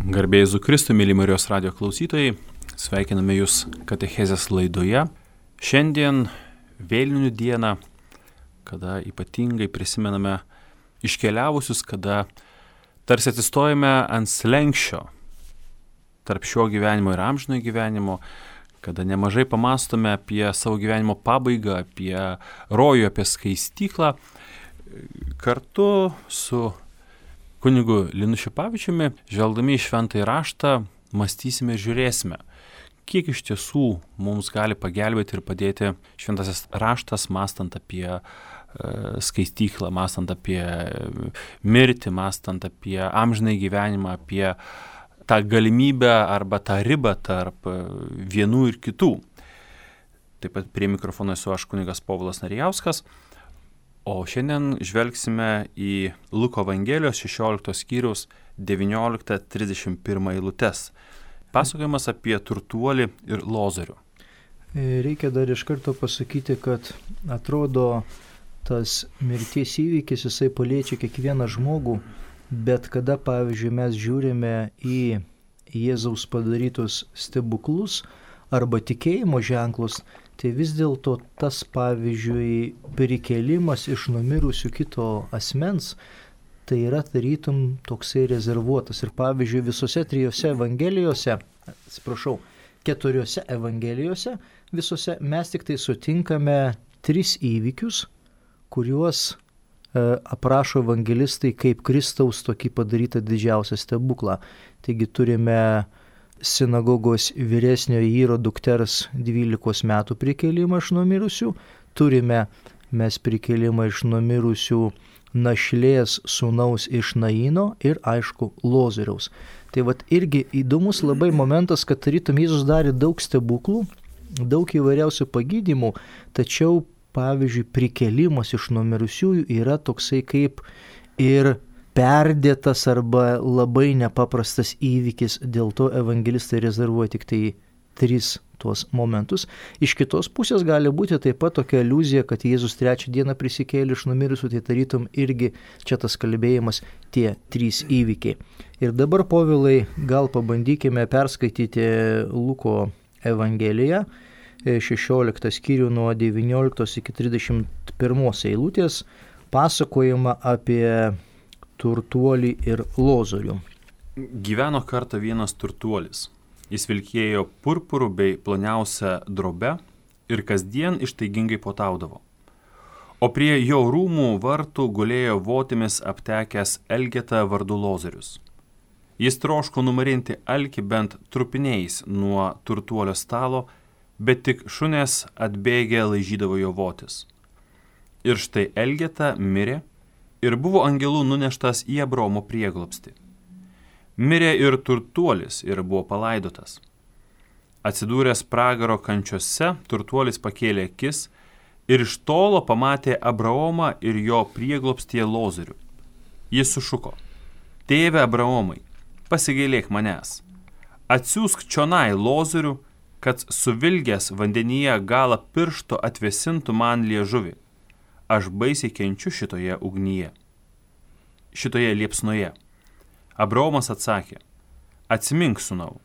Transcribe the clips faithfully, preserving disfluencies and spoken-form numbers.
Garbėjai Jėzui Kristui, mėly Marijos radijo klausytojai, sveikiname Jūs katechezės laidoje. Šiandien vėlinių dieną, kada ypatingai prisimename iškeliavusius, kada tarsi atsistojame ant slenksčio tarp šio gyvenimo ir amžinojo gyvenimo, kada nemažai pamastome apie savo gyvenimo pabaigą, apie rojų, apie skaistyklą, kartu su kunigu Linu Šipavičiumi, žvelgdami į šventąjį raštą, mąstysime ir žiūrėsime, kiek iš tiesų mums gali pagelbėti ir padėti šventasis raštas, mąstant apie e, skaistyklą, mąstant apie mirtį, mąstant apie amžinąjį gyvenimą, apie tą galimybę arba tą ribą tarp vienų ir kitų. Taip pat prie mikrofono esu aš, kunigas Povilas Narijauskas. O šiandien žvelgsime į Luko Evangelijos šešioliktos skyriaus devynioliktą trisdešimt pirmą eilutes. Pasakojimas apie turtuolį ir Lozorių. Reikia dar iš karto pasakyti, kad atrodo tas mirties įvykis, jisai paliečia kiekvieną žmogų, bet kada, pavyzdžiui, mes žiūrime į Jėzaus padarytus stebuklus arba tikėjimo ženklus, tai vis dėlto tas, pavyzdžiui, prikėlimas iš numirusių kito asmens, tai yra tarytum toksai rezervuotas. Ir pavyzdžiui, visose trijose evangelijose, atsiprašau, keturiose evangelijose, visose mes tik tai sutinkame tris įvykius, kuriuos e, aprašo evangelistai kaip Kristaus tokį padarytą didžiausią stebuklą. Taigi turime sinagogos vyresniojo Yro dukters dvylikos metų prikėlimą iš numirusių, turime mes prikėlimą iš numirusių našlės sūnaus iš Naino ir, aišku, Lozoriaus. Tai vat irgi įdomus labai momentas, kad tarytum Jėzus darė daug stebuklų, daug įvairiausių pagydymų, tačiau, pavyzdžiui, prikėlimas iš numirusiųjų yra toksai kaip ir perdėtas arba labai nepaprastas įvykis, dėl to evangelistai rezervuoja tik tai tris tuos momentus. Iš kitos pusės gali būti taip pat tokia aliuzija, kad Jėzus trečią dieną prisikėlė iš numirusių, tai tarytum irgi čia tas kalbėjimas tie trys įvykiai. Ir dabar, Povilai, gal pabandykime perskaityti Luko Evangeliją, šešioliktą skyrių nuo devynioliktos iki trisdešimt pirmos eilutės, pasakojimą apie turtuolį ir Lozorių. Gyveno kartą vienas turtuolis. Jis vilkėjo purpurų bei ploniausią drobę ir kasdien ištaigingai puotaudavo. O prie jo rūmų vartų gulėjo votimis aptekęs Elgeta vardu Lozorius. Jis troško numarinti alkį bent trupiniais nuo turtuolio stalo, bet tik šunės atbėgę laižydavo jo votis. Ir štai Elgeta mirė ir buvo angelų nuneštas į Abraomo prieglobstį. Mirė ir turtuolis ir buvo palaidotas. Atsidūręs pragaro kančiose, turtuolis pakėlė akis ir iš tolo pamatė Abraomą ir jo prieglobstyje Lozorių. Jis sušuko: Tėve Abraomai, pasigailėk manęs. Atsiųsk čionai Lozorių, kad suvilgęs vandenyje galą piršto atvėsintų man liežuvį. Aš baisiai kenčiu šitoje ugnyje, šitoje liepsnoje. Abraomas atsakė: Atsimink, sūnau,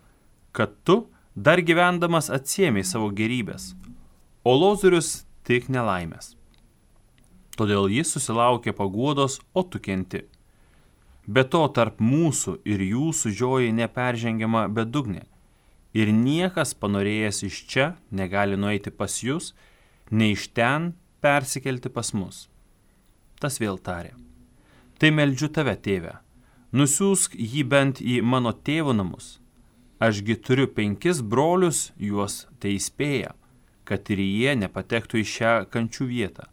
kad tu dar gyvendamas atsiėmei savo gerybės, o Lozorius tik nelaimės. Todėl jis susilaukė paguodos, o tu kenti. Be to tarp mūsų ir jūsų žioji neperžengiama bedugnė, ir niekas panorėjęs iš čia negali nueiti pas jūs, nei iš ten persikelti pas mus. Tas vėl tarė: Tai meldžiu tave, tėve, nusiųsk jį bent į mano tėvo namus. Ašgi turiu penkis brolius, juos tai įspėja, kad ir jie nepatektų į šią kančių vietą.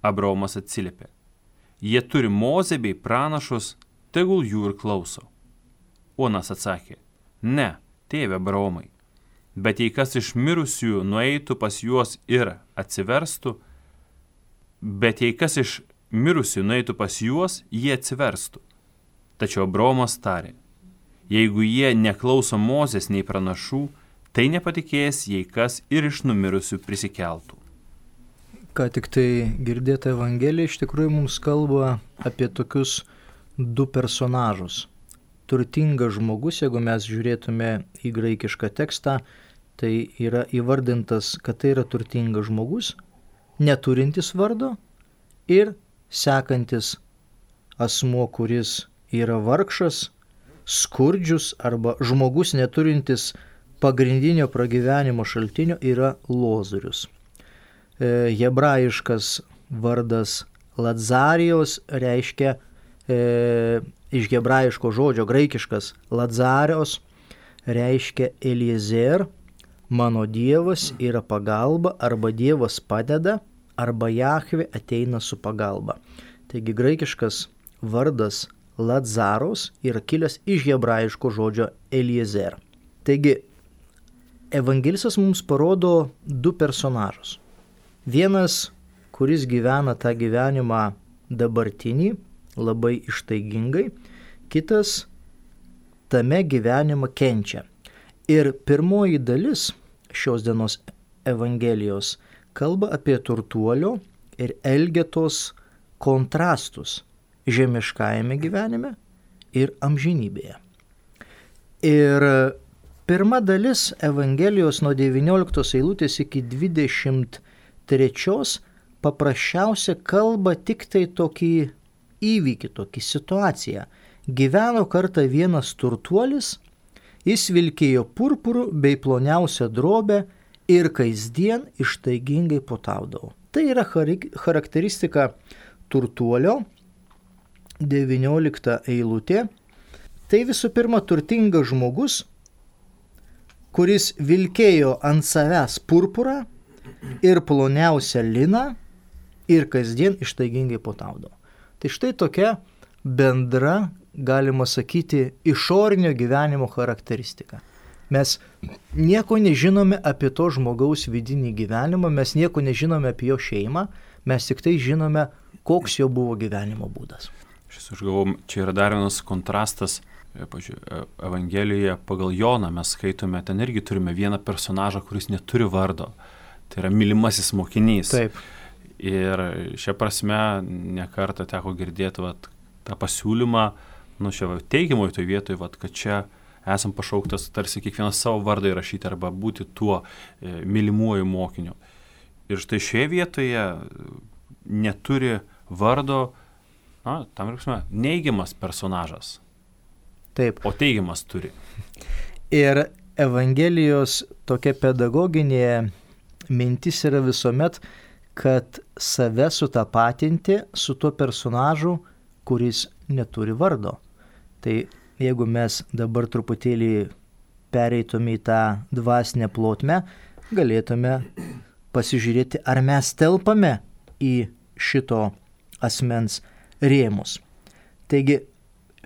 Abraomas atsiliepė: Jie turi Mozę bei pranašus, tegul jų ir klauso. Onas atsakė: Ne, tėve Abraomai, bet jei kas iš mirusiųjų nueitų pas juos ir atsiverstų, Bet jei kas iš mirusių nueitų pas juos, jie atsiverstų. Tačiau Abraomas tarė: Jeigu jie neklauso Mozės nei pranašų, tai nepatikės, jei kas ir iš numirusių prisikeltų. Ką tik tai girdėta Evangelija iš tikrųjų mums kalba apie tokius du personažus. turtingas žmogus, jeigu mes žiūrėtume į graikišką tekstą, tai yra įvardintas, kad tai yra turtingas žmogus, neturintis vardo ir sekantis asmuo, kuris yra vargšas, skurdžius arba žmogus neturintis pagrindinio pragyvenimo šaltinio yra lozorius. E, hebrajiškas vardas Lazarijos reiškia e, iš hebrajiško žodžio graikiškas Lazarijos reiškia Eliezer, mano Dievas yra pagalba, arba Dievas padeda, arba Jahvė ateina su pagalba. Taigi graikiškas vardas Lazaros yra kilęs iš hebrajiško žodžio Eliezer. Taigi evangelistas mums parodo du personažus. Vienas, kuris gyvena tą gyvenimą dabartinį, labai ištaigingai, kitas tame gyvenimą kenčia. Ir pirmoji dalis šios dienos Evangelijos kalba apie turtuolio ir elgetos kontrastus žemiškajame gyvenime ir amžinybėje. Ir pirma dalis Evangelijos nuo devynioliktos eilutės iki dvidešimt trečios paprasčiausia kalba tik tai tokį įvykį, tokį situaciją. Gyveno kartą vienas turtuolis, jis vilkėjo purpurų bei ploniausią drobę ir kasdien ištaigingai puotaudavo. Tai yra charakteristika turtuolio, devyniolikta eilutė. Tai visų pirma turtingas žmogus, kuris vilkėjo ant savęs purpurą ir ploniausią liną ir kasdien ištaigingai puotaudavo. Tai štai tokia bendra, galima sakyti, išorinio gyvenimo charakteristika. Mes nieko nežinome apie to žmogaus vidinį gyvenimą, mes nieko nežinome apie jo šeimą, mes tik tai žinome, koks jo buvo gyvenimo būdas. Šis užgavau, čia yra dar vienas kontrastas, pažiūrėjau, Evangelijoje pagal Joną mes skaitome, ten irgi turime vieną personažą, kuris neturi vardo. Tai yra mylimasis mokinys. Taip. Ir šia prasme nekartą teko girdėti vat, tą pasiūlymą, nu šia teigiamoj toj vietoj, vat, kad čia esam pašauktas tarsi kiekvienas savo vardą įrašyti arba būti tuo e, mylimuoju mokiniu. Ir štai šioje vietoje neturi vardo, na, tam reikšme, neigiamas personažas. Taip. O teigiamas turi. Ir Evangelijos tokia pedagoginė mintis yra visuomet, kad save sutapatinti su tuo personažu, kuris neturi vardo. Tai jeigu mes dabar truputėlį pereitume į tą dvasinę plotmę, galėtume pasižiūrėti, ar mes telpame į šito asmens rėmus. Taigi,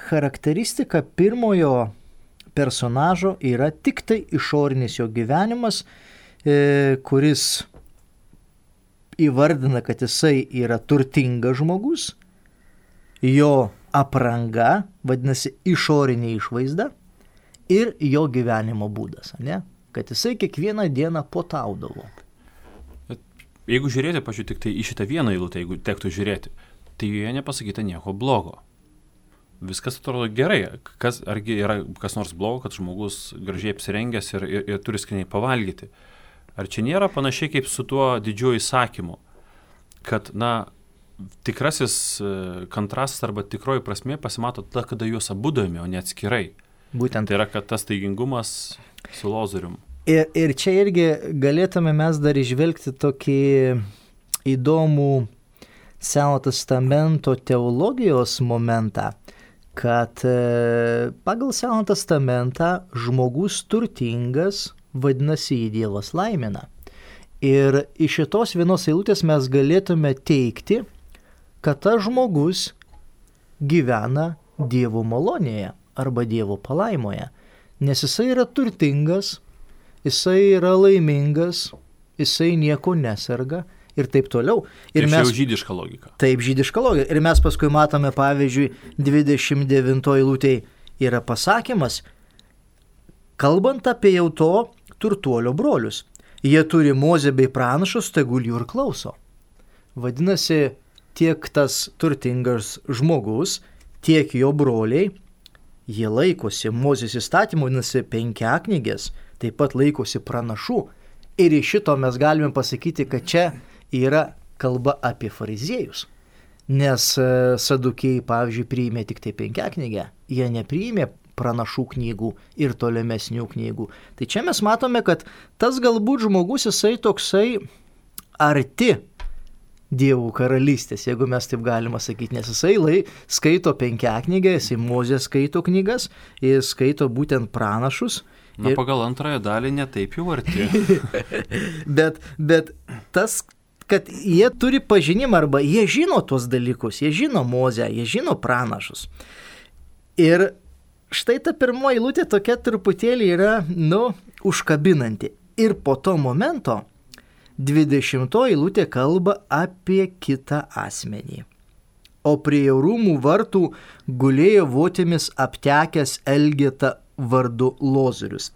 charakteristika pirmojo personažo yra tik tai išorinis jo gyvenimas, e, kuris įvardina, kad jisai yra turtingas žmogus, jo apranga, vadinasi išorinė išvaizda, ir jo gyvenimo būdas, ne? Kad jisai kiekvieną dieną puotaudavo. Jeigu žiūrėti, pažiūrėjau, tik tai į šitą vieną eilutę, jeigu tektų žiūrėti, tai joje nepasakyta nieko blogo. Viskas atrodo gerai. Kas, argi yra kas nors blogo, kad žmogus gražiai apsirengęs ir, ir, ir turi skaniai pavalgyti? Ar čia nėra panašiai kaip su tuo didžiuoju įsakymu, kad, na, tikrasis kontrastas arba tikroji prasmė pasimato tada, kada juos abudami, o ne atskirai. Būtent. Tai yra, kad tas taigingumas su lozorium. Ir, ir čia irgi galėtume mes dar išvelgti tokį įdomų Seno testamento teologijos momentą, kad pagal Seno testamentą žmogus turtingas, vadinasi, jį Dievas laimina. Ir iš šitos vienos eilutės mes galėtume teigti, kad tas žmogus gyvena Dievo malonėje arba Dievo palaimoje, nes jisai yra turtingas, jisai yra laimingas, jisai nieko neserga ir taip toliau. Ir tai mes, jau žydiška logika. Taip, žydiška logika. Ir mes paskui matome, pavyzdžiui, dvidešimt devintoj eilutėj yra pasakymas, kalbant apie jau to turtuolio brolius. Jie turi Mozę bei pranašus, tegul jų ir klauso. Vadinasi, tiek tas turtingas žmogus, tiek jo broliai jie laikosi Mozės įstatymų, vadinasi penkiaknygės, taip pat laikosi pranašų. Ir iš šito mes galime pasakyti, kad čia yra kalba apie fariziejus. Nes sadukėjai, pavyzdžiui, priėmė tik tai penkiaknygę, jie nepriėmė pranašų knygų ir tolimesnių knygų. Tai čia mes matome, kad tas galbūt žmogus, jisai toksai arti Dievų karalystės, jeigu mes taip galima sakyti, nes jisai lai, skaito penkiaknygę, jisai Mozės skaito knygas, jis skaito būtent pranašus. Na, ir... pagal antrąją dalį netaip jau arti. bet, bet tas, kad jie turi pažinimą arba jie žino tuos dalykus, jie žino Mozę, jie žino pranašus. Ir štai ta pirmoji eilutė tokia truputėlį yra, nu, užkabinanti. Ir po to momento dvidešimtoji eilutė kalba apie kitą asmenį. O prie rūmų vartų gulėjo votimis aptekęs Elgeta vardu Lozorius.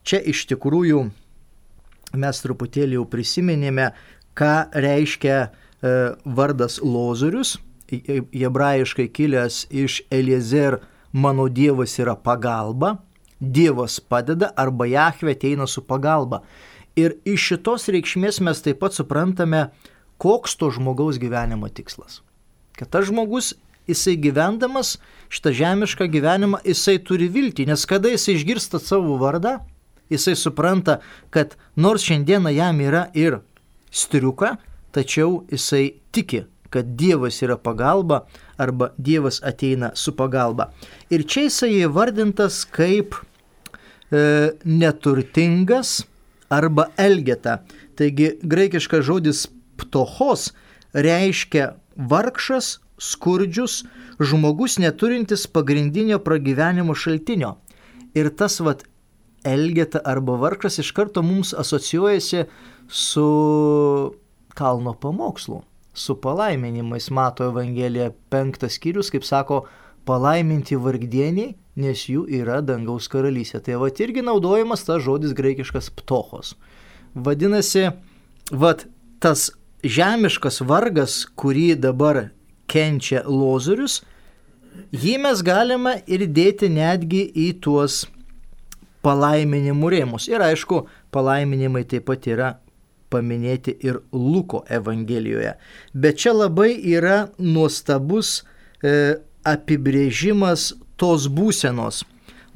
Čia iš tikrųjų mes truputėlį jau prisiminėme, ką reiškia e, vardas Lozorius, hebrajiškai kilęs iš Eliezer, mano Dievas yra pagalba, Dievas padeda arba Jahvė ateina su pagalba. Ir iš šitos reikšmės mes taip pat suprantame, koks to žmogaus gyvenimo tikslas. Kad tas žmogus, jisai gyvendamas šitą žemišką gyvenimą, jisai turi viltį, nes kada jisai išgirsta savo vardą, jisai supranta, kad nors šiandieną jam yra ir striuka, tačiau jisai tiki, kad Dievas yra pagalba arba Dievas ateina su pagalba. Ir čia jisai įvardintas kaip e, neturtingas arba Elgeta. Taigi graikiškas žodis ptochos reiškia vargšas, skurdžius, žmogus neturintis pagrindinio pragyvenimo šaltinio. Ir tas vat Elgeta arba vargšas iš karto mums asocijuojasi su kalno pamokslu, su palaiminimais. Mato Evangelija penktas skyrius, kaip sako, palaiminti vargdieniai, nes jų yra dangaus karalystė. Tai vat irgi naudojamas tas žodis graikiškas ptochos. Vadinasi, vat tas žemiškas vargas, kurį dabar kenčia Lozorius, jį mes galime ir dėti netgi į tuos palaiminimų rėmus. Ir aišku, palaiminimai taip pat yra paminėti ir Luko Evangelijoje. Bet čia labai yra nuostabus e, apibrėžimas tos būsenos.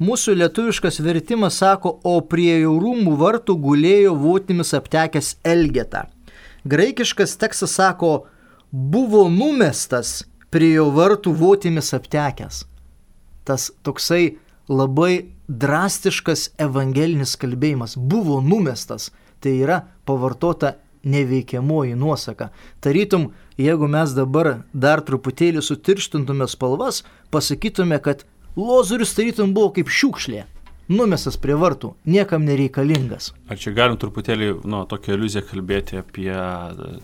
Mūsų lietuviškas vertimas sako, o prie jo rūmų vartų gulėjo votimis aptekęs Elgeta. Graikiškas tekstas sako, buvo numestas prie jo vartų votimis aptekęs. Tas toksai labai drastiškas evangelinis kalbėjimas. Buvo numestas. Tai yra pavartota neveikiamoji nuosaka. Tarytum, jeigu mes dabar dar truputėlį sutirštintume spalvas, pasakytume, kad Lozorius tarytum buvo kaip šiukšlė, numestas prie vartų, niekam nereikalingas. Ar čia galim truputėlį, nu, tokią iliuziją kalbėti apie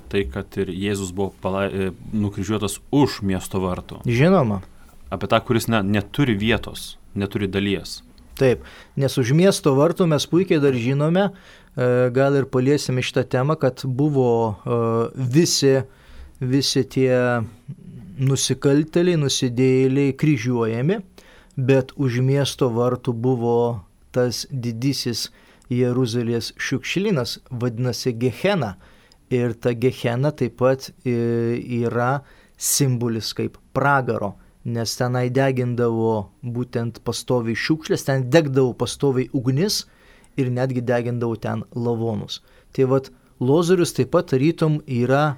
tai, kad ir Jėzus buvo palai, nukryžiuotas už miesto vartų? Žinoma. Apie tą, kuris ne, neturi vietos, neturi dalies. Taip, nes už miesto vartų mes puikiai dar žinome, gal ir paliesime šitą temą, kad buvo visi, visi tie nusikaltėliai, nusidėjėliai kryžiuojami, bet už miesto vartų buvo tas didysis Jeruzalės šiukšlynas, vadinasi Gehena. Ir ta Gehena taip pat yra simbolis kaip pragaro, nes tenai degindavo būtent pastoviai šiukšlės, ten degdavo pastoviai ugnis ir netgi degindavo ten lavonus. Tai vat Lozorius taip pat tarytum yra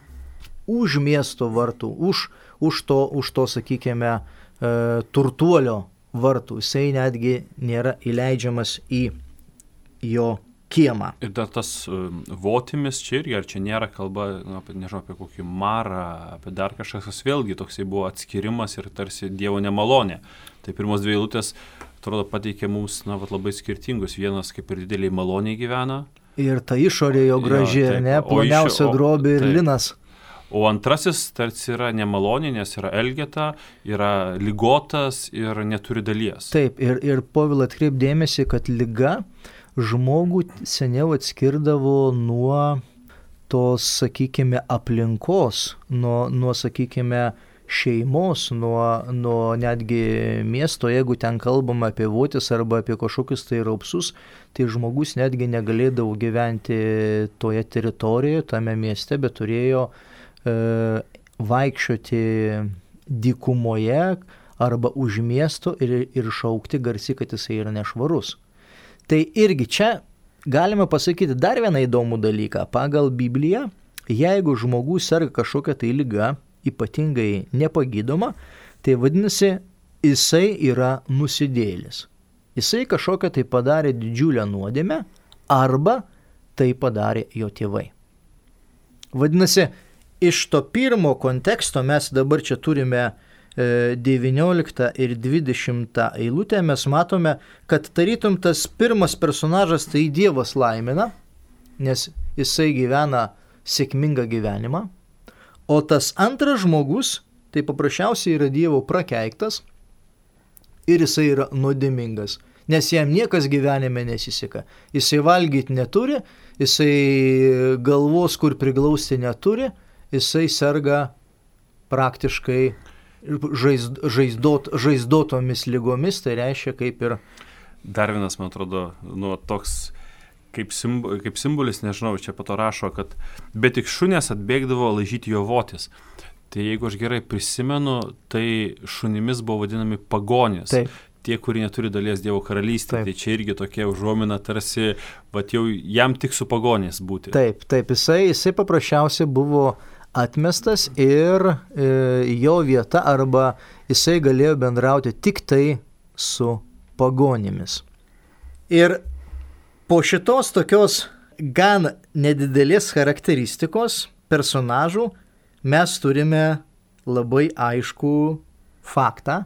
už miesto vartų, už, už to, už to sakykime, e, turtuolio vartų. Jisai netgi nėra įleidžiamas į jo kiemą. Ir dar tas uh, votimis čia irgi, ar čia nėra kalba, nu, apie, nežinau, apie kokį marą, apie dar kažkas, kas vėlgi toksai buvo atskirimas ir tarsi Dievo nemalonė. Tai pirmos dvi eilutės, atrodo, pateikė mums, na, vat, labai skirtingus. Vienas kaip ir dideliai maloniai gyvena. Ir ta išorė jo graži, jo, ne, ploniausia drobė ir taip. Linas. O antrasis tarsi yra nemalonė, nes yra Elgeta, yra ligotas ir neturi dalies. Taip, ir, ir Povil atkreip dėmesį, kad liga žmogų seniau atskirdavo nuo tos, sakykime, aplinkos, nuo, nuo sakykime, šeimos, nuo, nuo netgi miesto, jeigu ten kalbama apie votis arba apie kažkokius tai raupsus, tai žmogus netgi negalėdavo gyventi toje teritorijoje, tame mieste, bet turėjo e, vaikščioti dykumoje arba už miesto ir, ir šaukti garsiai, kad jisai yra nešvarus. Tai irgi čia galime pasakyti dar vieną įdomų dalyką. Pagal Bibliją, jeigu žmogus serga kažkokią tai ligą, ypatingai nepagydoma, tai vadinasi, jisai yra nusidėjėlis. Jisai kažkokią tai padarė didžiulę nuodėmę arba tai padarė jo tėvai. Vadinasi, iš to pirmo konteksto mes dabar čia turime devynioliktą ir dvidešimtą eilutę, mes matome, kad tarytum tas pirmas personažas tai Dievas laimina, nes jisai gyvena sėkmingą gyvenimą, o tas antras žmogus tai paprasčiausiai yra Dievo prakeiktas ir jisai yra nuodėmingas, nes jam niekas gyvenime nesiseka. Jisai valgyti neturi, jisai galvos kur priglausti neturi, jisai serga praktiškai žaizd, žaizdot, žaizdotomis lygomis, tai reiškia kaip ir... Dar vienas, man atrodo, nu, toks kaip, simbo, kaip simbolis, nežinau, čia po to rašo, kad bet tik šunės atbėgdavo laižyti jo votis. Tai jeigu aš gerai prisimenu, tai šunimis buvo vadinami pagonys. Taip. Tie, kurie neturi dalies Dievo karalystė. Tai čia irgi tokia užuomina tarsi, vat jau jam tik su pagonys būti. Taip, taip, jisai, jisai paprasčiausiai buvo atmestas ir e, jo vieta arba jisai galėjo bendrauti tik tai su pagonimis. Ir po šitos tokios gan nedidelės charakteristikos personažų mes turime labai aiškų faktą,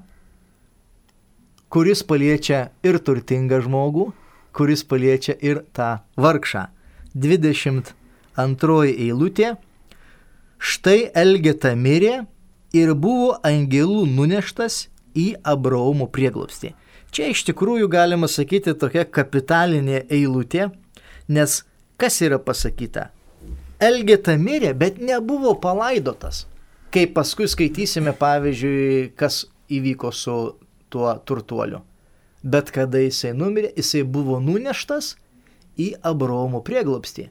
kuris paliečia ir turtingą žmogų, kuris paliečia ir tą vargšą. dvidešimt antroji eilutė. Štai Elgeta mirė ir buvo angelų nuneštas į Abraomo prieglobstį. Čia iš tikrųjų galima sakyti tokia kapitalinė eilutė, nes kas yra pasakyta? Elgeta mirė, bet nebuvo palaidotas. Kaip paskui skaitysime, pavyzdžiui, kas įvyko su tuo turtuoliu. Bet kada jisai numirė, jisai buvo nuneštas į Abraomo prieglobstį.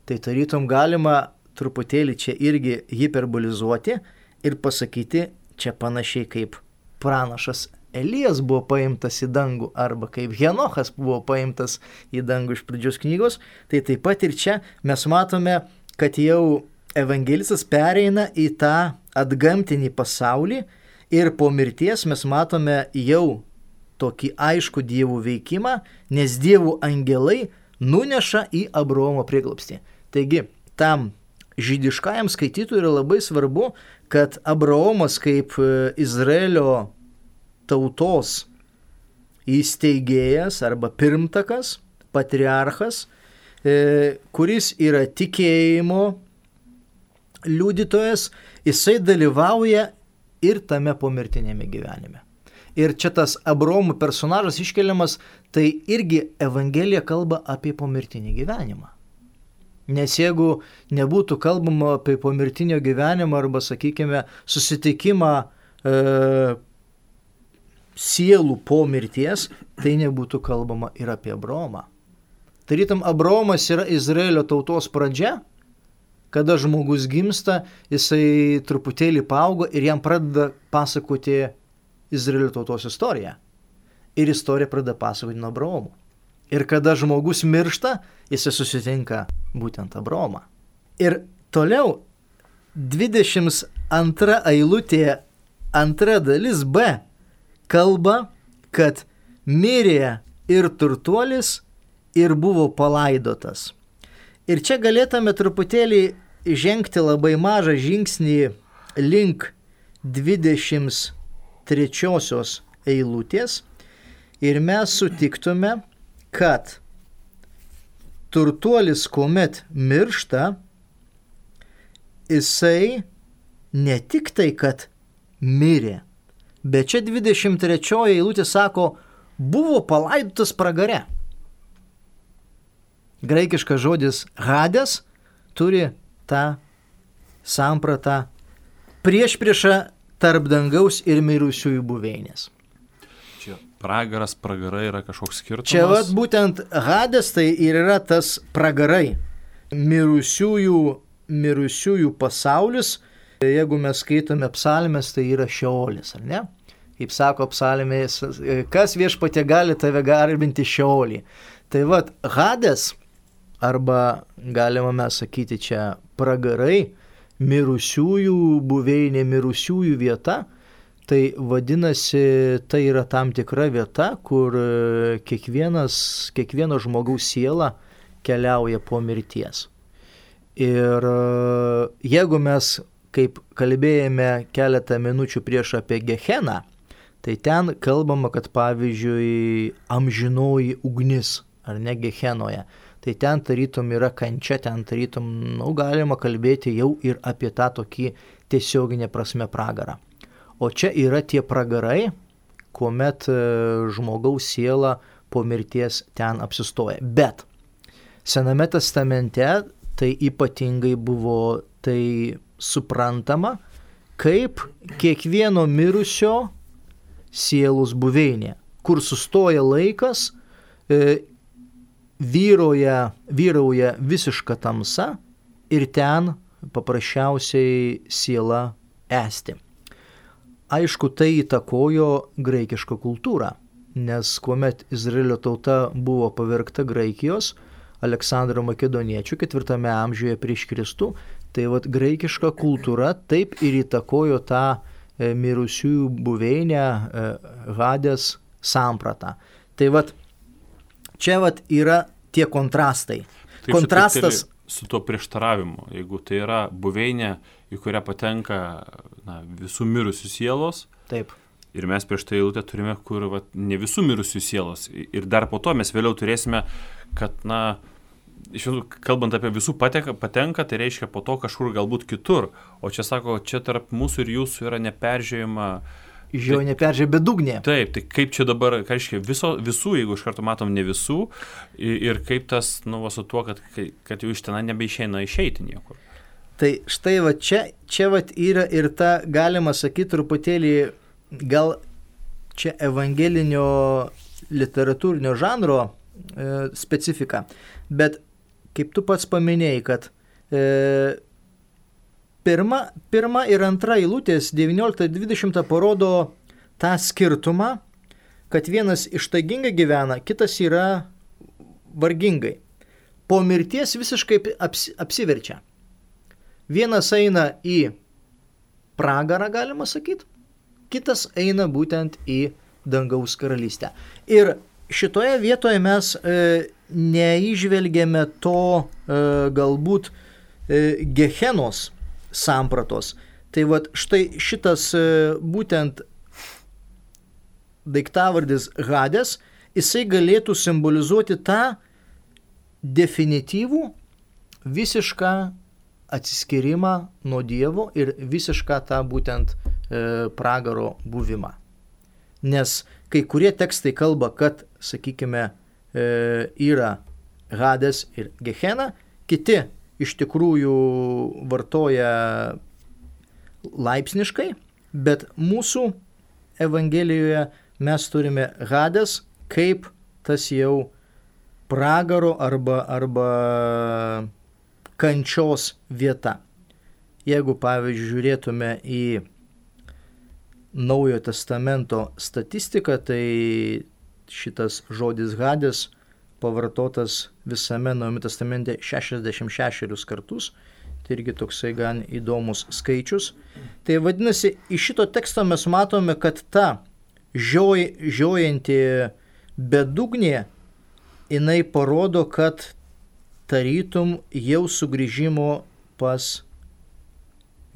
Tai tarytum galima truputėlį čia irgi hiperbolizuoti ir pasakyti čia panašiai kaip pranašas Elijas buvo paimtas į dangų arba kaip Henochas buvo paimtas į dangų iš pradžios knygos, tai taip pat ir čia mes matome, kad jau evangelistas pereina į tą atgamtinį pasaulį ir po mirties mes matome jau tokį aišku Dievo veikimą, nes Dievo angelai nuneša į Abraomo prieglobstį. Taigi, tam žydiškajam skaitytojui yra labai svarbu, kad Abraomas kaip Izraelio tautos įsteigėjas arba pirmtakas, patriarchas, kuris yra tikėjimo liudytojas, jisai dalyvauja ir tame pomirtinėme gyvenime. Ir čia tas Abraomo personažas iškeliamas, tai irgi Evangelija kalba apie pomirtinį gyvenimą. Nes jeigu nebūtų kalbama apie pomirtinio gyvenimą arba, sakykime, susitikimą e, sielų po mirties, tai nebūtų kalbama ir apie Abraomą. Tarytum, Abraomas yra Izraelio tautos pradžia, kada žmogus gimsta, jisai truputėlį paaugo ir jam pradeda pasakoti Izraelio tautos istoriją. Ir istorija pradeda pasakoti nuo Abraomo. Ir kada žmogus miršta, jisai susitinka būtent Abraomą. Ir toliau dvidešimt antra eilutė, antra dalis B, kalba, kad mirė ir turtuolis ir buvo palaidotas. Ir čia galėtume truputėlį žengti labai mažą žingsnį link dvidešimt trečiosios eilutės ir mes sutiktume, kad turtuolis, kuomet miršta, jisai ne tik tai, kad mirė, bet čia dvidešimt trečioji eilutė sako, buvo palaidotas pragare. Graikiškas žodis Hades turi tą sampratą priešpriešą tarp dangaus ir mirusiųjų buveinės. Čia pragaras, pragarai yra kažkoks skirtumas. Čia vat būtent Hades tai ir yra tas pragarai. Mirusiųjų, mirusiųjų pasaulis, jeigu mes skaitome psalmes, tai yra Šeolis, ar ne? Kaip sako psalmės, kas viešpatie gali tave garbinti Šeolį. Tai vat Hades, arba galima mes sakyti čia pragarai, mirusiųjų buveinė, mirusiųjų vieta, tai vadinasi, tai yra tam tikra vieta, kur kiekvienas, kiekvieno žmogaus siela keliauja po mirties. Ir jeigu mes, kaip kalbėjome keletą minučių prieš apie Geheną, tai ten kalbama, kad pavyzdžiui amžinoji ugnis, ar ne Gehenoje, tai ten tarytum yra kančia, ten tarytum, nu, galima kalbėti jau ir apie tą tokį tiesioginę prasme pragarą. O čia yra tie pragarai, kuomet žmogaus siela po mirties ten apsistoja. Bet Sename testamente tai ypatingai buvo tai suprantama, kaip kiekvieno mirusio sielos buveinė, kur sustoja laikas, e, Vyroja, vyrauja visiška tamsa ir ten paprasčiausiai siela esti. Aišku, tai įtakojo graikišką kultūrą, nes kuomet Izraelio tauta buvo pavergta Graikijos, Aleksandro Makedoniečio ketvirtame amžiuje prieš Kristų, tai vat graikiška kultūra taip ir įtakojo tą e, mirusiųjų buveinę e, Hades sampratą. Tai vat čia vat yra tie kontrastai. Taip, Kontrastas su tuo prieštaravimu. Jeigu tai yra buveinė, į kurią patenka na, visų mirusių sielos, taip. Ir mes prieš tai eilutę turime, kur vat, ne visų mirusių sielos. Ir dar po to mes vėliau turėsime, kad, na, iš vienų, kalbant apie visų patenka, patenka, tai reiškia po to kažkur galbūt kitur. O čia sako, čia tarp mūsų ir jūsų yra neperžiūrima. Žiau neperžė bedugnė. Taip, tai kaip čia dabar, ką reiškia, viso, visų, jeigu iš karto matom ne visų, ir, ir kaip tas, nu, va, su tuo, kad, kad jau iš ten nebeišeina išeiti niekur. Tai štai va čia, čia va yra ir ta, galima sakyti, truputėlį gal čia evangelinio literatūrinio žanro e, specifika, bet kaip tu pats paminėjai, kad e, Pirma, pirma ir antra eilutės devyniolika dvidešimt parodo tą skirtumą, kad vienas ištaigingai gyvena, kitas yra vargingai. Po mirties visiškai aps, apsiverčia. Vienas eina į pragarą, galima sakyti, kitas eina būtent į dangaus karalystę. Ir šitoje vietoje mes e, neįžvelgėme to e, galbūt e, Gehenos sampratos. Tai vat štai šitas būtent daiktavardis Hades, jisai galėtų simbolizuoti tą definityvų visišką atsiskyrimą nuo Dievo ir visišką tą būtent e, pragaro buvimą. Nes kai kurie tekstai kalba, kad, sakykime, e, yra Hades ir Gehena, kiti iš tikrųjų vartoja laipsniškai, bet mūsų Evangelijoje mes turime Hades kaip tas jau pragaro arba, arba kančios vieta. Jeigu, pavyzdžiui, žiūrėtume į Naujojo testamento statistiką, tai šitas žodis Hades pavartotas visame Naujame testamente šešiasdešimt šešerius kartus, tai irgi toksai gan įdomus skaičius. Tai vadinasi, iš šito teksto mes matome, kad ta žioj, žiojanti bedugnė, jinai parodo, kad tarytum jau sugrįžimo pas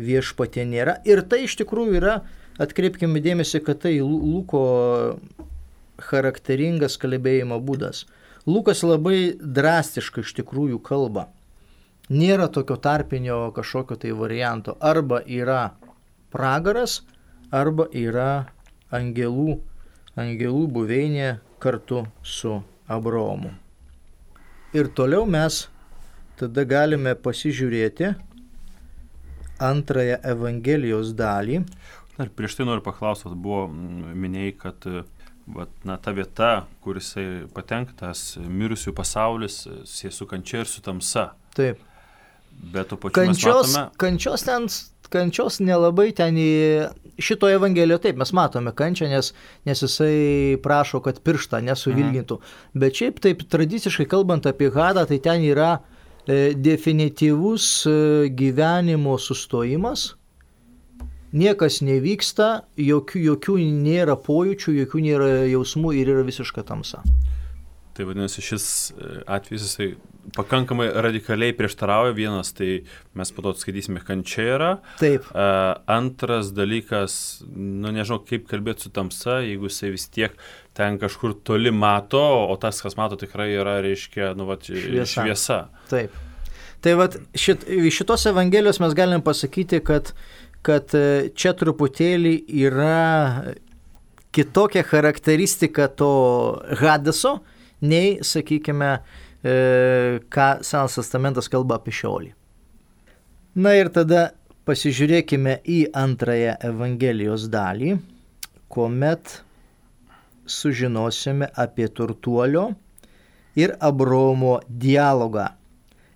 viešpatį nėra. Ir tai iš tikrųjų yra, atkreipkime dėmesį, kad tai Luko charakteringas kalbėjimo būdas. Lukas labai drastiškai iš tikrųjų kalba. Nėra tokio tarpinio kažkokio tai varianto. Arba yra pragaras, arba yra angelų, angelų buveinė kartu su Abraomu. Ir toliau mes tada galime pasižiūrėti antrąją Evangelijos dalį. Dar prieš tai noriu paklausti, buvo minėjai, kad vat, na, ta vieta, kur jisai patenktas, mirusių pasaulis, susijęs su kančia ir su tamsa. Taip. Bet to pačiu kančios, mes matome... Kančios ten, kančios nelabai ten į šitoje Evangelijoje, taip, mes matome kančią, nes, nes jisai prašo, kad pirštą nesuvilgintų. Mhm. Bet šiaip taip tradiciškai kalbant apie Hadą, tai ten yra e, definityvus e, gyvenimo sustojimas. Niekas nevyksta, jokių, jokių nėra pojūčių, jokių nėra jausmų ir yra visiška tamsa. Tai vadinasi, šis atvejis jisai pakankamai radikaliai prieštarauja. Vienas, tai mes po to skaitysime, kančia yra. Taip. Uh, antras dalykas, nu nežinau, kaip kalbėti su tamsa, jeigu jisai vis tiek ten kažkur toli mato, o tas, kas mato, tikrai yra, reiškia, nu, vat, šviesa. šviesa. Taip. Tai vat, šit, šitos Evangelijos mes galim pasakyti, kad, kad čia truputėlį yra kitokia charakteristika to Hadeso, nei, sakykime, e, ką Senas testamentas kalba apie Šeolį. Na ir tada pasižiūrėkime į antrąją Evangelijos dalį, kuomet sužinosime apie turtuolio ir Abraomo dialogą.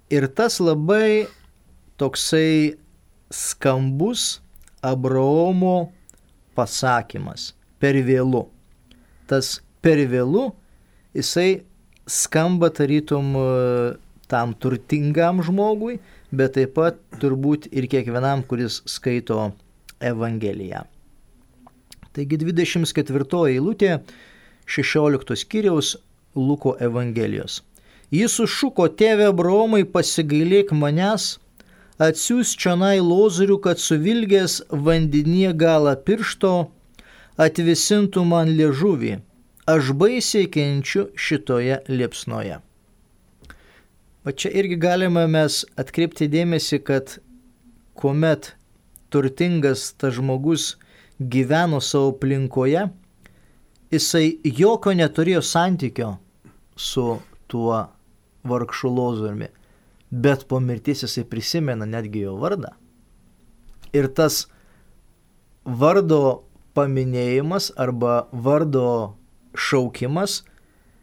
Ir tas labai toksai skambus Abraomo pasakymas per vėlu. Tas per vėlu jisai skamba tarytum tam turtingam žmogui, bet taip pat turbūt ir kiekvienam, kuris skaito Evangeliją. Taigi dvidešimt ketvirtoji eilutė šešioliktos skyriaus Luko Evangelijos. Jis sušuko: tėve Abraomai, pasigailėk manęs, atsiųs čionai lozorių, kad suvilgęs vandenyje galą piršto atvisintų man liežuvį. Aš baisiai kenčiu šitoje liepsnoje. O čia irgi galime mes atkreipti dėmesį, kad kuomet turtingas tas žmogus gyveno savo aplinkoje, jisai jokio neturėjo santykio su tuo vargšu lozoriumi, bet po mirties jisai prisimena netgi jo vardą. Ir tas vardo paminėjimas arba vardo šaukimas,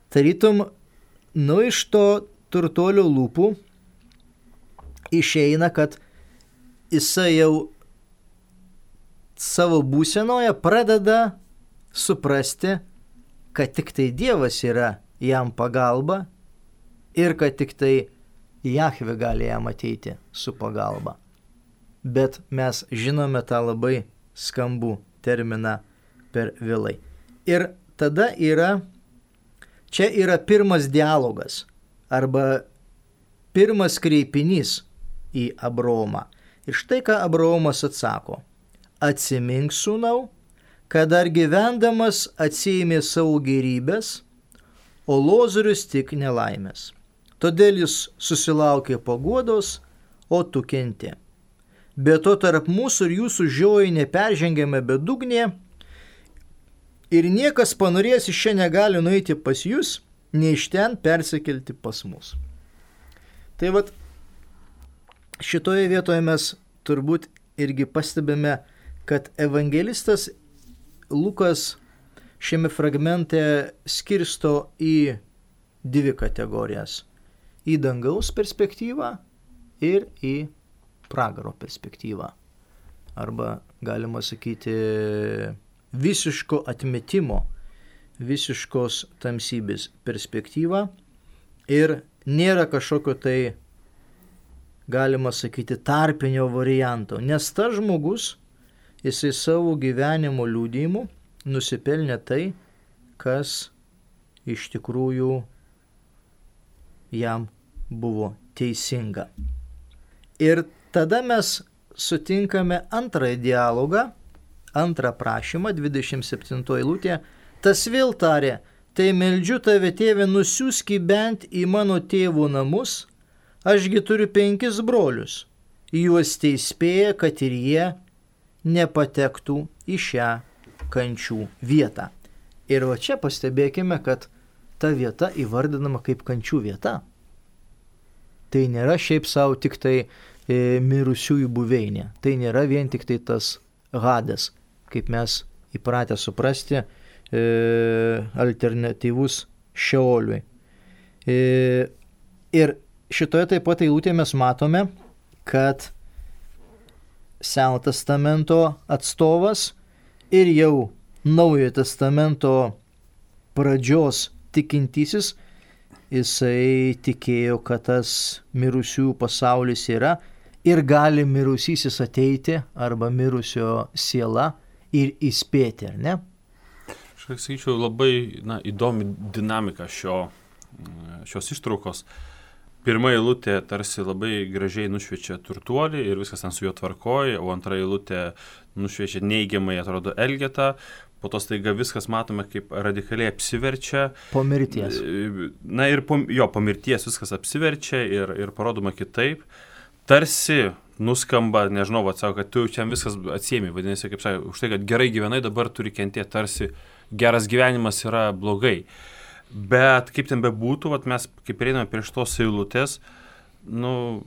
tarytum, nu iš to turtuolio lūpų išeina, kad jisai jau savo būsenoje pradeda suprasti, kad tik tai Dievas yra jam pagalba ir kad tik tai Jahvė gali jam ateiti su pagalba. Bet mes žinome tą labai skambų terminą per vėlai. Ir tada yra, čia yra pirmas dialogas arba pirmas kreipinys į Abraomą. Ir štai ką Abraomas atsako: atsimink, sūnau, kad dar gyvendamas atsiėmė savo gėrybės, o lozorius tik nelaimės. Todėl jis susilaukė paguodos, o tu kenti. Be to tarp mūsų ir jūsų žiojai neperžengiame bedugnė, ir niekas panorėjęs iš čia negali nueiti pas jūs, nei iš ten persikelti pas mus. Tai vat, šitoje vietoje mes turbūt irgi pastebime, kad evangelistas Lukas šiame fragmente skirsto į dvi kategorijas. Į dangaus perspektyvą ir į pragaro perspektyvą. Arba galima sakyti visiško atmetimo, visiškos tamsybės perspektyvą. Ir nėra kažkokio tai, galima sakyti, tarpinio varianto. Nes tas žmogus, jisai savo gyvenimo liudijimu nusipelnė tai, kas iš tikrųjų jam buvo teisinga. Ir tada mes sutinkame antrąjį dialogą, antrą prašymą, dvidešimt septintoji eilutė. Tas vėl tarė: tai meldžiu tave, tėve, nusiųski bent į mano tėvų namus, ašgi turiu penkis brolius, juos teįspėja, kad ir jie nepatektų į šią kančių vietą. Ir va čia pastebėkime, kad ta vieta įvardinama kaip kančių vieta. Tai nėra šiaip savo tik tai e, mirusiųjų buveinė. Tai nėra vien tik tai tas Hades. kaip mes įpratę suprasti, e, alternatyvus Šeoliui. E, ir šitoje taip pat eilutėje mes matome, kad Seno testamento atstovas ir jau Naujojo testamento pradžios tikintysis, jisai tikėjo, kad tas mirusiųjų pasaulis yra ir gali mirusysis ateiti arba mirusio siela ir įspėti, ar ne? Aš sakyčiau, labai na, įdomi dinamika šio, šios ištraukos. Pirma eilutė tarsi labai gražiai nušviečia turtuolį ir viskas ten su juo tvarkoja, o antra eilutė nušviečia neigiamai, atrodo, Elgetą. Po to staiga viskas matome, kaip radikaliai apsiverčia. Po mirties. Na ir po, jo, po mirties viskas apsiverčia ir, ir parodoma kitaip. Tarsi nuskamba, nežinau, atsako, kad tu čia viskas atsiemi. Vadinasi, kaip sakai, už tai, kad gerai gyvenai, dabar turi kentėti, tarsi geras gyvenimas yra blogai. Bet kaip ten bebūtų, vat mes kaip einame prie šitos eilutės, nu,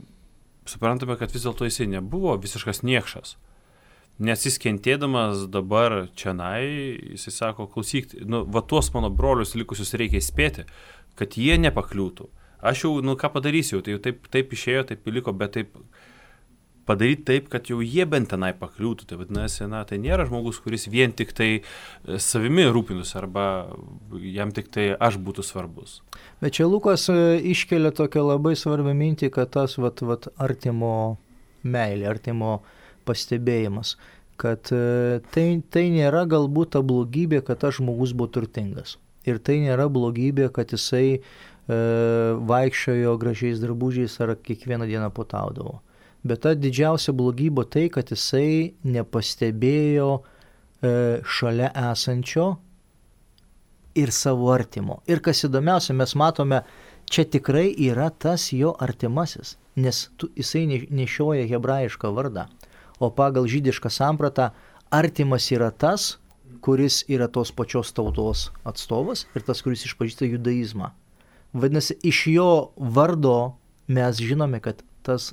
suprantame, kad vis dėlto jisai nebuvo visiškas niekšas. Nes jis kentėdamas dabar čianai, jisai sako, klausyk, nu, va tuos mano brolius likusius reikia įspėti, kad jie nepakliūtų. Aš jau, nu, ką padarysiu, tai jau taip, taip išėjo, taip liko, bet taip padaryti taip, kad jau jie bent tenai pakliūtų. Tai vadinasi, na, tai nėra žmogus, kuris vien tik tai savimi rūpinus arba jam tik tai aš būtų svarbus. Bet čia Lukas iškelia tokią labai svarbią mintį, kad tas vat, vat, artimo meilė, artimo pastebėjimas, kad tai, tai nėra galbūt ta blogybė, kad tas žmogus buvo turtingas. Ir tai nėra blogybė, kad jisai e, vaikščiojo gražiais drabužiais ar kiekvieną dieną potaudavo. Bet ta didžiausia blogybė tai, kad jisai nepastebėjo e, šalia esančio ir savo artimo. Ir kas įdomiausia, mes matome, čia tikrai yra tas jo artimasis, nes tu, jisai nešioja hebrajišką vardą. O pagal žydišką sampratą artimas yra tas, kuris yra tos pačios tautos atstovas ir tas, kuris išpažįsta judaizmą. Vadinasi, iš jo vardo mes žinome, kad tas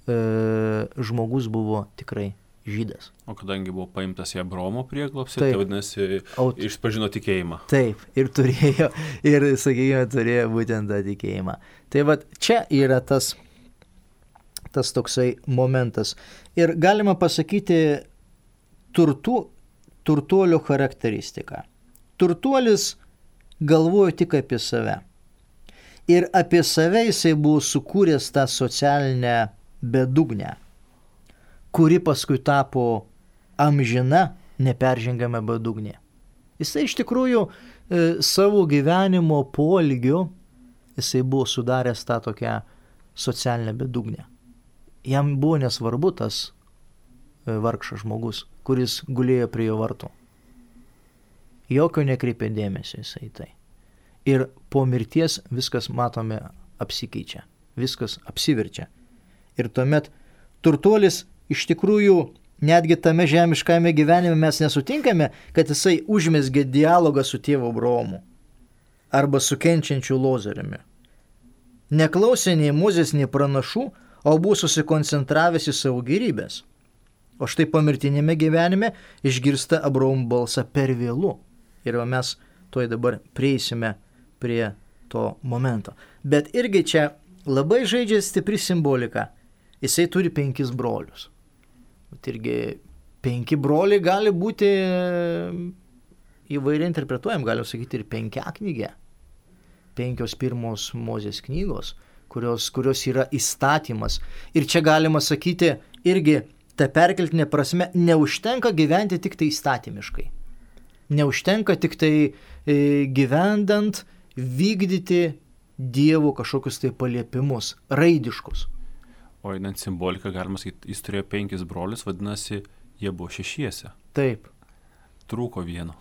e, žmogus buvo tikrai žydas. O kadangi buvo paimtas į Abraomo prieglobstį, tai vadinasi, Aut... išpažino tikėjimą. Taip, ir turėjo, ir, sakykime, turėjo būtent tą tikėjimą. Tai vat čia yra tas, tas toksai momentas. Ir galima pasakyti turtų, turtuolio charakteristiką. Turtuolis galvojo tik apie save. Ir apie save jisai buvo sukūręs tą socialinę bedugnę, kuri paskui tapo amžina, neperžengiama bedugnė. Jisai iš tikrųjų e, savo gyvenimo poelgiu jisai buvo sudaręs tą tokią socialinę bedugnę. Jam buvo nesvarbu tas e, vargšas žmogus, kuris gulėjo prie jo vartų. Jokio nekreipė dėmesio jisai tai. Ir po mirties viskas, matome, apsikeičia. Viskas apsiverčia. Ir tuomet turtuolis iš tikrųjų netgi tame žemiškame gyvenime mes nesutinkame, kad jisai užmezgė dialogą su tėvu Abraomu arba su kenčiančiu Lozoriumi. Neklausė nei Mozės, nei pranašų, o buvo susikoncentravęs į savo gėrybės. O štai pomirtinėme gyvenime išgirsta Abraomo balsą per vėlu. Ir mes tuoj dabar prieisime prie to momento. Bet irgi čia labai žaidžia stipri simbolika. Jisai turi penkis brolius. Bet irgi penki broliai gali būti įvairiai interpretuojam, galim sakyti ir penkiaknygė. Penkios pirmos Mozės knygos, kurios, kurios yra įstatymas. Ir čia galima sakyti irgi ta perkeltinė prasme, neužtenka gyventi tik tai įstatymiškai. Neužtenka tik tai e, gyvendant vykdyti Dievo kažkokius tai paliepimus, raidiškus. O einant simboliką, galima sakyti, jis turėjo penkis brolius, vadinasi, jie buvo šešiese. Taip. Trūko vieno.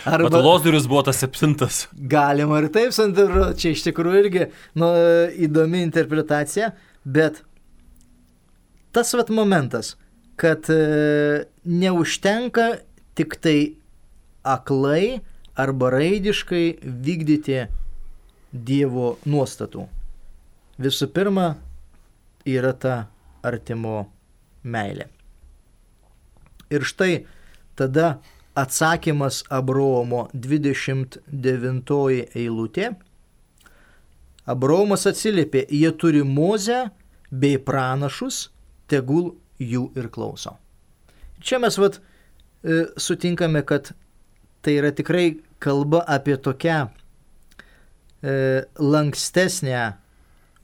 Arba, bet Lozorius buvo tas septintas. Galima ir taip, Sandro, čia iš tikrųjų irgi nu, įdomi interpretacija, bet tas vat momentas, kad e, neužtenka tik tai aklai arba raidiškai vykdyti Dievo nuostatų. Visų pirma, yra ta artimo meilė. Ir štai tada atsakymas Abraomo dvidešimt devintoji eilutė. Abraomas atsiliepė, jie turi Mozę bei pranašus, tegul jų ir klauso. Čia mes vat, e, sutinkame, kad tai yra tikrai kalba apie tokią e, lankstesnę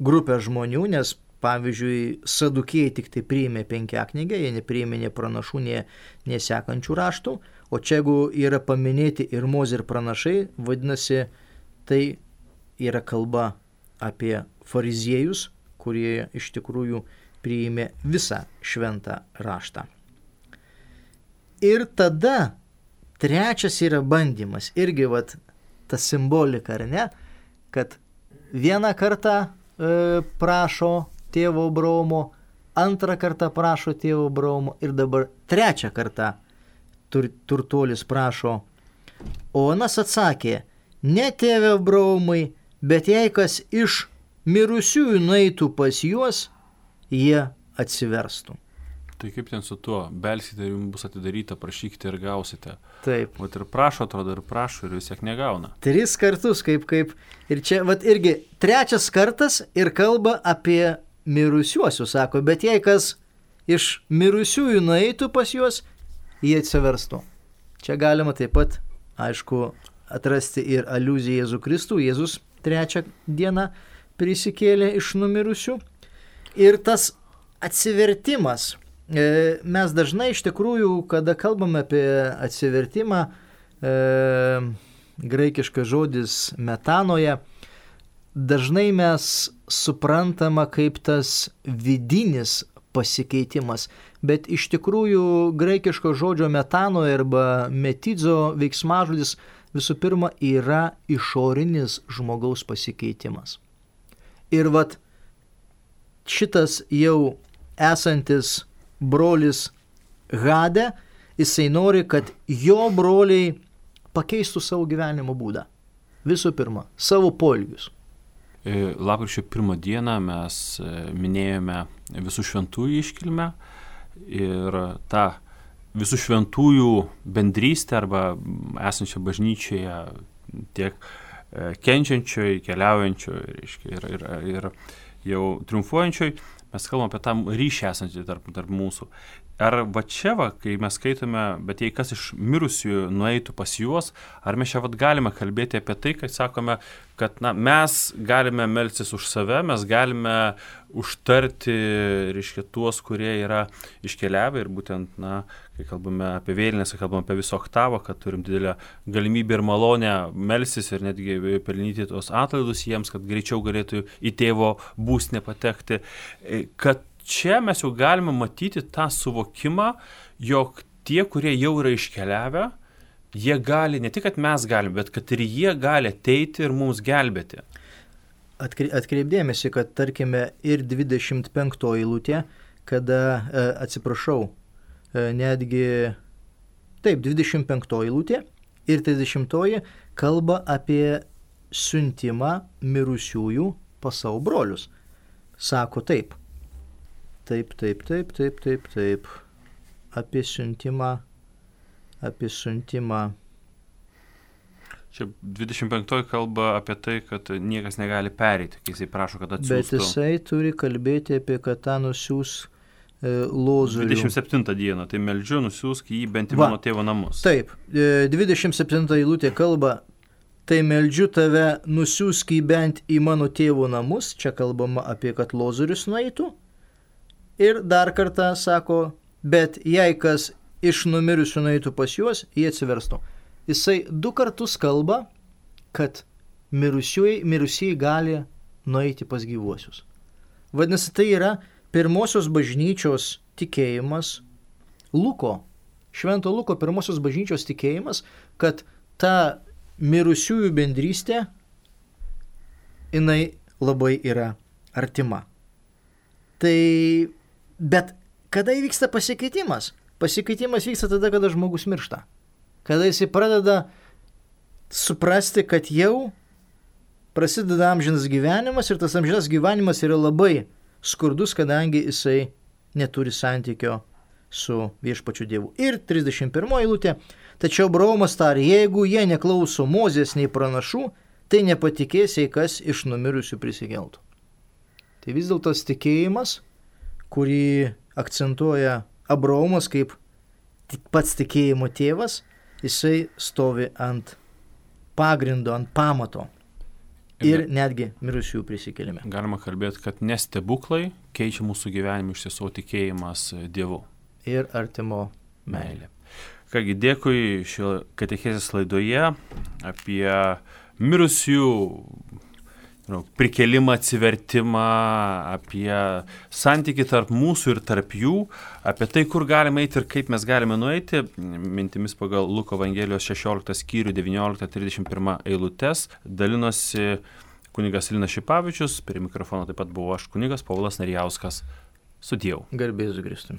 grupę žmonių, nes pavyzdžiui, sadukėjai tik tai priėmė penkiaknygę, jie nepriėmė nei pranašų, nei, nei sekančių raštų, o čia jeigu yra paminėti ir Mozė ir pranašai, vadinasi, tai yra kalba apie fariziejus, kurie iš tikrųjų priėmė visą šventą raštą. Ir tada trečias yra bandymas, irgi vat, ta simbolika, ar ne, kad vieną kartą e, prašo tėvo Abraomo, antrą kartą prašo tėvo Abraomo ir dabar trečią kartą tur, turtuolis prašo. O anas atsakė, ne tėve Abraomai, bet jei kas iš mirusiųjų nueitų pas juos, jie atsiverstų. Tai kaip ten su tuo, belsite ir jums bus atidaryta, prašykite ir gausite. Taip. Vat ir prašo, atrodo, ir prašo, ir vis tiek negauna. Tris kartus, kaip, kaip. Ir čia, vat irgi, trečias kartas ir kalba apie mirusiuosius, sako, bet jei kas iš mirusiųjų nueitų pas juos, jie atsiverstų. Čia galima taip pat, aišku, atrasti ir aliuziją Jėzų Kristų. Jėzus trečią dieną prisikėlė iš numirusių. Ir tas atsivertimas, mes dažnai iš tikrųjų, kada kalbame apie atsivertimą, e, graikiškas žodis metanoje, dažnai mes suprantama kaip tas vidinis pasikeitimas, bet iš tikrųjų graikiško žodžio metanoje arba metidzo veiksmažodis visų pirma yra išorinis žmogaus pasikeitimas. Ir vat šitas jau esantis brolis Hade, jisai nori, kad jo broliai pakeistų savo gyvenimo būdą. Visų pirma, savo poelgius. Lapkričio pirmą dieną mes minėjome visų šventųjų iškilmę ir tą visų šventųjų bendrystę arba esančią bažnyčioje tiek kenčiančioj, keliaujančioj ir, ir, ir jau triumfuojančioj. Mes kalbam apie tą ryšį esantį tarp, tarp mūsų. Ar va čia, va, kai mes skaitome, bet jei kas iš mirusiųjų nueitų pas juos, ar mes čia vat galime kalbėti apie tai, kad sakome, kad na, mes galime melstis už save, mes galime užtarti, reiškia, tuos, kurie yra iškeliavę ir būtent, na, kai kalbame apie vėlinės, kai kalbame apie visą oktavą, kad turim didelę galimybę ir malonę melstis ir netgi pelnyti tos atlaidus jiems, kad greičiau galėtų į tėvo būstinę patekti, kad čia mes jau galime matyti tą suvokimą, jog tie, kurie jau yra iškeliavę, jie gali, ne tik, kad mes galime, bet kad ir jie gali ateiti ir mums gelbėti. Atkreipdėmėsi, kad tarkime ir dvidešimt penktoji eilutė, kada, atsiprašau, netgi, taip, dvidešimt penktoji eilutė ir trisdešimtoji kalba apie siuntimą mirusiųjų pas savo brolius. Sako taip. Taip, taip, taip, taip, taip, taip. Apie siuntimą, apie siuntimą. Čia dvidešimt penktoji kalba apie tai, kad niekas negali pereiti, kai jisai prašo, kad atsiųstų. Bet jisai turi kalbėti apie, kad tą nusiūs e, Lozorių. dvidešimt septintą dieną, tai meldžiu, nusiųsk jį bent į mano tėvo namus. Taip, e, dvidešimt septinta eilutė kalba, tai meldžiu tave, nusiųsk jį bent į mano tėvo namus. Čia kalbama apie, kad Lozorius nueitų. Ir dar kartą sako, bet jei kas iš numirusių nueitų pas juos, jie atsiverstų. Jisai du kartus kalba, kad mirusieji, mirusieji gali nueiti pas gyvuosius. Vadinasi, tai yra pirmosios bažnyčios tikėjimas, Luko, Švento Luko pirmosios bažnyčios tikėjimas, kad ta mirusiųjų bendrystė, jinai labai yra artima. Tai Bet kada įvyksta pasikeitimas? Pasikeitimas vyksta tada, kada žmogus miršta. Kada jisai pradeda suprasti, kad jau prasideda amžinas gyvenimas ir tas amžinas gyvenimas yra labai skurdus, kadangi jisai neturi santykio su viešpačiu Dievu. Ir trisdešimt pirmoji eilutė. Tačiau Abraomas tarė, jeigu jie neklauso Mozės nei pranašų, tai nepatikės, jei kas iš numirusių prisikeltų. Tai vis dėlto tas tikėjimas, kurį akcentuoja Abraomas kaip pats tikėjimo tėvas, jisai stovi ant pagrindo, ant pamato ir netgi mirusiųjų prisikėlime. Galima kalbėti, kad ne stebuklai keičia mūsų gyvenimą, iš tiesų tikėjimas Dievu. Ir artimo meilė. Kągi, dėkui šio katechezės laidoje apie mirusiųjų prikėlimą, atsivertimą, apie santykį tarp mūsų ir tarp jų, apie tai, kur galime eiti ir kaip mes galime nueiti, mintimis pagal Luko Evangelijos šešioliktą skyrių devynioliktą trisdešimt pirmą eilutes, dalinosi kunigas Linas Šipavičius, prie mikrofono taip pat buvo aš, kunigas Povilas Narijauskas. Sudiev. Garbės Kristui.